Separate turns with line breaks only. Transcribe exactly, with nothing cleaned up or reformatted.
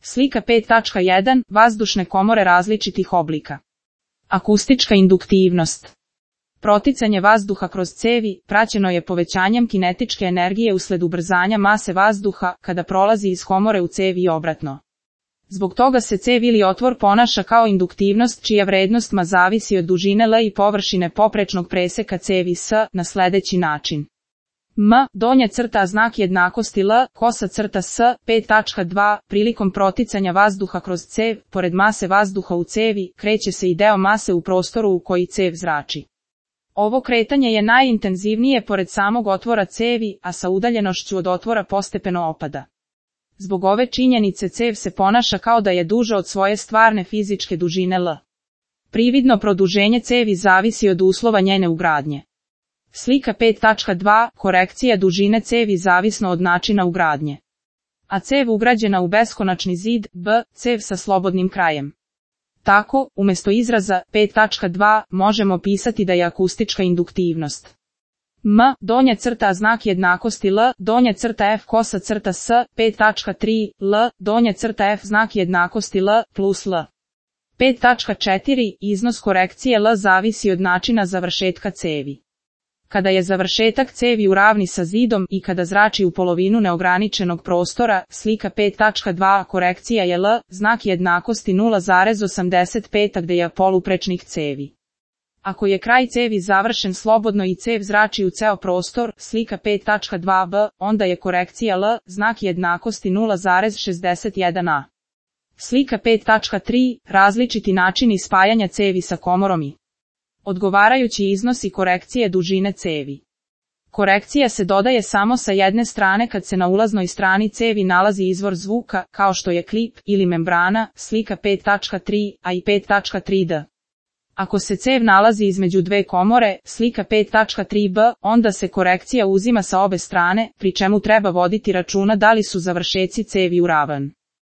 Slika pet tačka jedan. Vazdušne komore različitih oblika. Akustička induktivnost. Proticanje vazduha kroz cevi praćeno je povećanjem kinetičke energije usled ubrzanja mase vazduha kada prolazi iz komore u cevi i obratno. Zbog toga se cev ili otvor ponaša kao induktivnost čija vrednost ma zavisi od dužine L i površine poprečnog preseka cevi S na sljedeći način. M, donja crta znak jednakosti L, kosa crta S, pet tačka dva, prilikom proticanja vazduha kroz cev, pored mase vazduha u cevi, kreće se i deo mase u prostoru u koji cev zrači. Ovo kretanje je najintenzivnije pored samog otvora cevi, a sa udaljenošću od otvora postepeno opada. Zbog ove činjenice cev se ponaša kao da je duža od svoje stvarne fizičke dužine L. Prividno produženje cevi zavisi od uslova njene ugradnje. Slika pet tačka dva. Korekcija dužine cevi zavisno od načina ugradnje. A cev ugrađena u beskonačni zid, B, cev sa slobodnim krajem. Tako, umjesto izraza pet tačka dva možemo pisati da je akustička induktivnost. M, donja crta znak jednakosti L, donja crta F kosa crta S, pet tačka tri, L, donja crta F znak jednakosti L, plus L. pet tačka četiri. Iznos korekcije L zavisi od načina završetka cevi. Kada je završetak cevi u ravni sa zidom i kada zrači u polovinu neograničenog prostora, slika pet tačka dva. Korekcija je L, znak jednakosti nula zarez osamdeset pet gdje je poluprečnih cevi. Ako je kraj cevi završen slobodno i cev zrači u ceo prostor, slika pet tačka dva b, onda je korekcija L, znak jednakosti nula zarez šezdeset jedan a. Slika pet tačka tri. Različiti načini spajanja cevi sa komorom i odgovarajući iznosi korekcije dužine cevi. Korekcija se dodaje samo sa jedne strane kad se na ulaznoj strani cevi nalazi izvor zvuka, kao što je klip ili membrana, slika pet tačka tri a i pet tačka tri d. Ako se cev nalazi između dve komore, slika pet tačka tri b, onda se korekcija uzima sa obe strane, pri čemu treba voditi računa da li su završeci cevi u ravan.